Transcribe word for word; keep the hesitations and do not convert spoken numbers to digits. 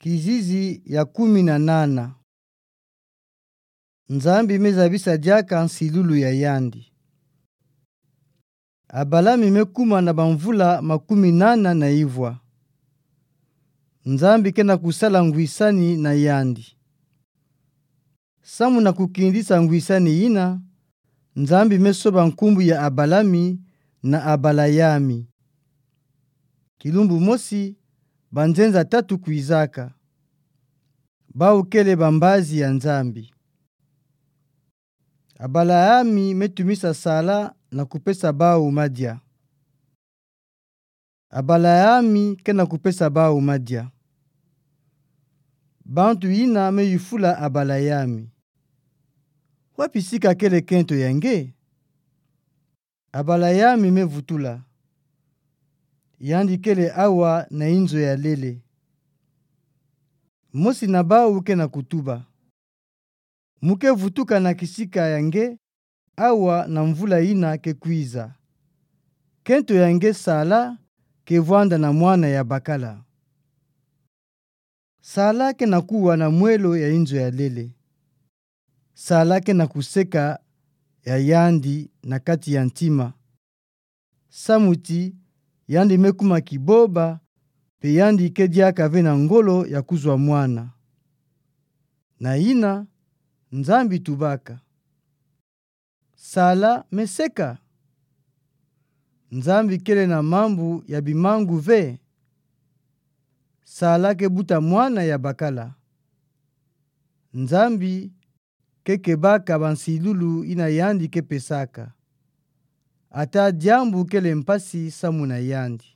Kizizi ya kumi na nana. Nzambi mezabisa diaka nsilulu ya yandi. Abalami mekuma na bamvula makumi nana na ivwa. Nzambi ke na kusala ngwisani na yandi. Samu na kukindisa ngwisani yina, Nzambi mesoba nkumbu ya Abalami na Abalayami. Kilumbu mosi, banzenza tatu kwizaka. Bawu kele bambazi ya Nzambi. Abalayami metumisa Sala na kupesa bawu madia. Abalayami ke na kupesa bawu madia. Bantu yina meyufula Abalayami: Wapi sika kele kento ya nge? Abalayami mevutula: Yandi kele awa na inzo ya lele. Mosi na bawu ke na kutuba: Mu ke vutuka na kisika ya nge awa na mvula yina ke kwiza. Kento ya nge Sala ke vwanda na mwana ya bakala. Sala ke na kuwa na mwelo ya inzo ya lele. Sala ke na kuseka ya yandi na kati ya ntima, samu ti yandi mekuma kiboba, mpe yandi ke diaka ve na ngolo ya kuzwa mwana. Na yina, Nzambi tubaka: Sala meseka? Nzambi kele na mambu ya bimangu ve? Sala ke buta mwana ya bakala. Nzambi ke kebaka bansilulu yina yandi ke pesaka. Ata diambu kele mpasi samu na yandi.